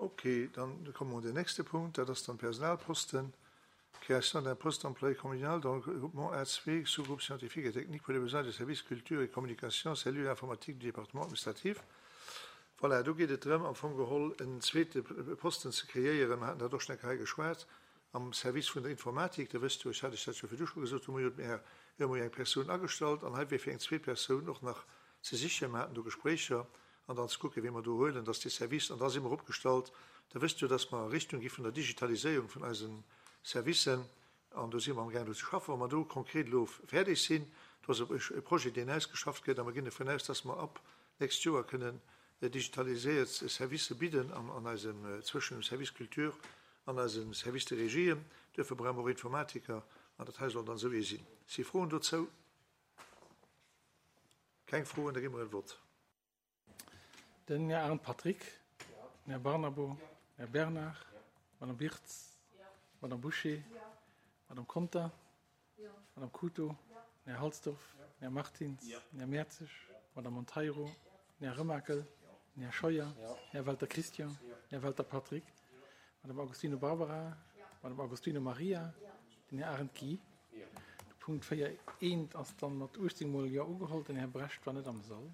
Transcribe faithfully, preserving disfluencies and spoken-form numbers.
Okay, dann komme mer un den nächste Punkt, dat ass dann Personalposten. Création d'un poste d'employé communal dans le groupement A zwei, sous-groupe scientifique et technique pour les besoins des services culture et communication, cellule informatique du département administratif. Voilà, do geet et drëm, am Fong geholl en zweete Posten ze kreéieren. Mer haten dat och schonn eng Kéier hei geschwat, am Service vun der Informatik. Der wësst jo, ech hat lech dat jo virdu scho gesot, hu mer jo, mir hu mer jo eng Persoun agestallt an hei wier fir eng zweet Persoun och nach ze sichen. Mer haten do Gespréicher an dann ze kucken, wee mer do huelen, dass dee Service, an da si mer opgestallt. Der wësst jo, dass mer a Richtung gi vun der Digitaliséierung vun eise Servicen an do si mer amgaang do ze schaffen. Wa mer do konkret elo fäerdeg sinn, do ass e Projet, deen ausgeschafft gëtt a mer ginn dovun aus, dass mer ab nächst Joer kënnen digitaliséiert Servicë bidden an eisem, zwëschen dem Service Culture an eisem Service de Régie. Duerfir brauche mer och Informatiker an dat hei soll dann esou ee sinn. Si Froen dozou? Keng Froen, da gi mer en Vott. Den Här Arendt Patrick, den Här Barnabo, den Här Bernard, d'Madame Wirtz, d'Madame Bouché, d'Madame Conter, d'Madame Couto, den Här Halsdorf, den Här Martins, den Här Mertzig, d'Madame Monteiro, den Här Remakel, den Här Scheuer, den Här Welter Christian, den Här Welter Patrick, d'Madame Agostino Barbara, d'Madame Agostino Maria, den Här Arendt Guy. De Punkt véier eent ass dann mat uechtzéng mol Jo ugeholl. Den Här Brecht war net am Sall.